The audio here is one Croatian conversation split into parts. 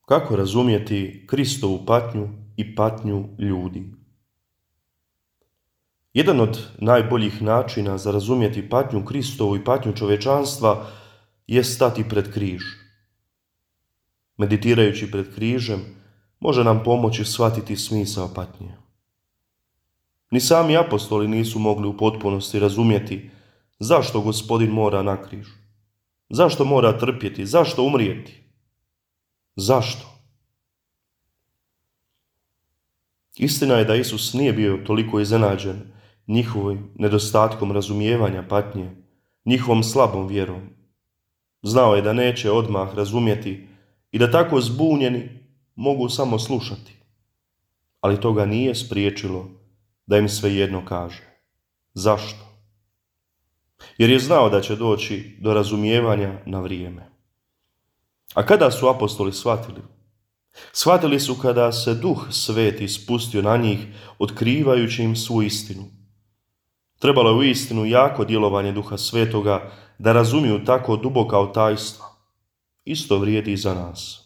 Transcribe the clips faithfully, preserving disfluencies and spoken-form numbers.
Kako razumjeti Kristovu patnju i patnju ljudi? Jedan od najboljih načina za razumjeti patnju Kristovu i patnju čovječanstva je stati pred križ. Meditirajući pred križem može nam pomoći shvatiti smisao patnje. Ni sami apostoli nisu mogli u potpunosti razumjeti zašto Gospodin mora na križ, zašto mora trpjeti, zašto umrijeti. Zašto? Istina je da Isus nije bio toliko iznenađen njihovim nedostatkom razumijevanja patnje, njihovom slabom vjerom. Znao je da neće odmah razumjeti i da tako zbunjeni mogu samo slušati. Ali to ga nije spriječilo da im svejedno kaže. Zašto? Jer je znao da će doći do razumijevanja na vrijeme. A kada su apostoli shvatili? Shvatili su kada se Duh Sveti spustio na njih, otkrivajući im svu istinu. Trebalo je u istinu jako djelovanje Duha Svetoga da razumiju tako duboka tajstva. Isto vrijedi i za nas.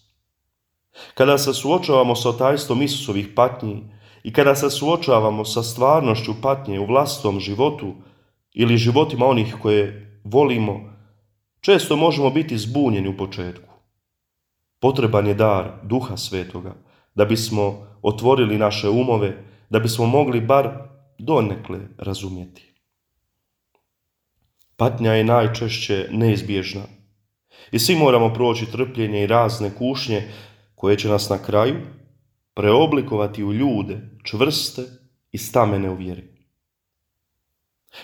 Kada se suočavamo sa tajstvom Isusovih patnji i kada se suočavamo sa stvarnošću patnje u vlastitom životu ili životima onih koje volimo, često možemo biti zbunjeni u početku. Potreban je dar Duha Svetoga da bismo otvorili naše umove, da bismo mogli bar donekle razumjeti. Patnja je najčešće neizbježna i svi moramo proći trpljenje i razne kušnje koje će nas na kraju preoblikovati u ljude čvrste i stamene u vjeri.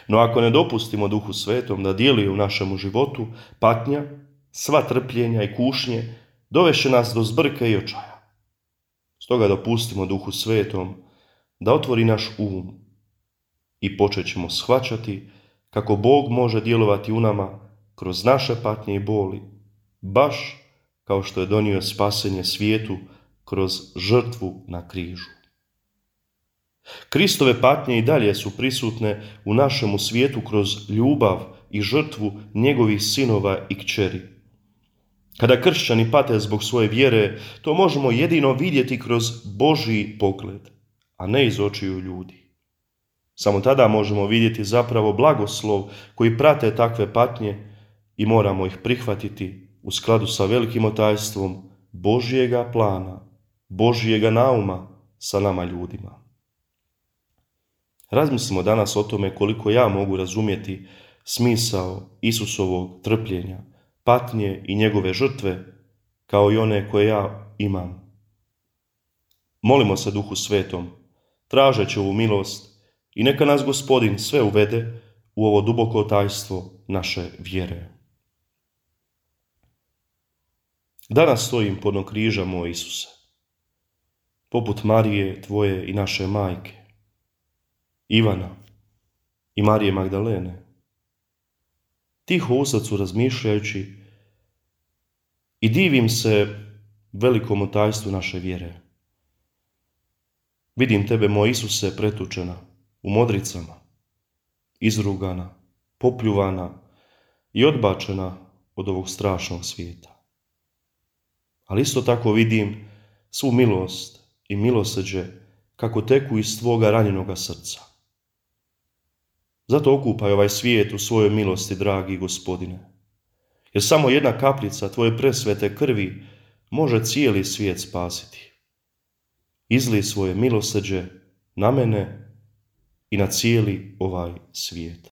No ako ne dopustimo Duhu Svetom da djeluje u našemu životu, patnja, sva trpljenja i kušnje dovešće nas do zbrke i očaja. Stoga dopustimo Duhu Svetom da otvori naš um i počet ćemo shvaćati kako Bog može djelovati u nama kroz naše patnje i boli, baš kao što je donio spasenje svijetu kroz žrtvu na križu. Kristove patnje i dalje su prisutne u našemu svijetu kroz ljubav i žrtvu njegovih sinova i kćeri. Kada kršćani pate zbog svoje vjere, to možemo jedino vidjeti kroz Božji pogled, a ne iz očiju ljudi. Samo tada možemo vidjeti zapravo blagoslov koji prate takve patnje i moramo ih prihvatiti u skladu sa velikim otajstvom Božjega plana, Božjega nauma sa nama ljudima. Razmislimo danas o tome koliko ja mogu razumjeti smisao Isusovog trpljenja, patnje i njegove žrtve, kao i one koje ja imam. Molimo se Duhu Svetom, tražeći ovu milost, i neka nas Gospodin sve uvede u ovo duboko tajstvo naše vjere. Danas stojim podno križa moj Isuse, poput Marije tvoje i naše majke, Ivana i Marije Magdalene, tiho u srcu razmišljajući i divim se velikom tajstvu naše vjere. Vidim tebe, moj Isuse, pretučena u modricama, izrugana, popljuvana i odbačena od ovog strašnog svijeta. Ali isto tako vidim svu milost i milosrđe kako teku iz tvoga ranjenoga srca. Zato okupaj ovaj svijet u svojoj milosti, dragi Gospodine, jer samo jedna kapljica tvoje presvete krvi može cijeli svijet spasiti. Izlij svoje milosrđe na mene i na cijeli ovaj svijet.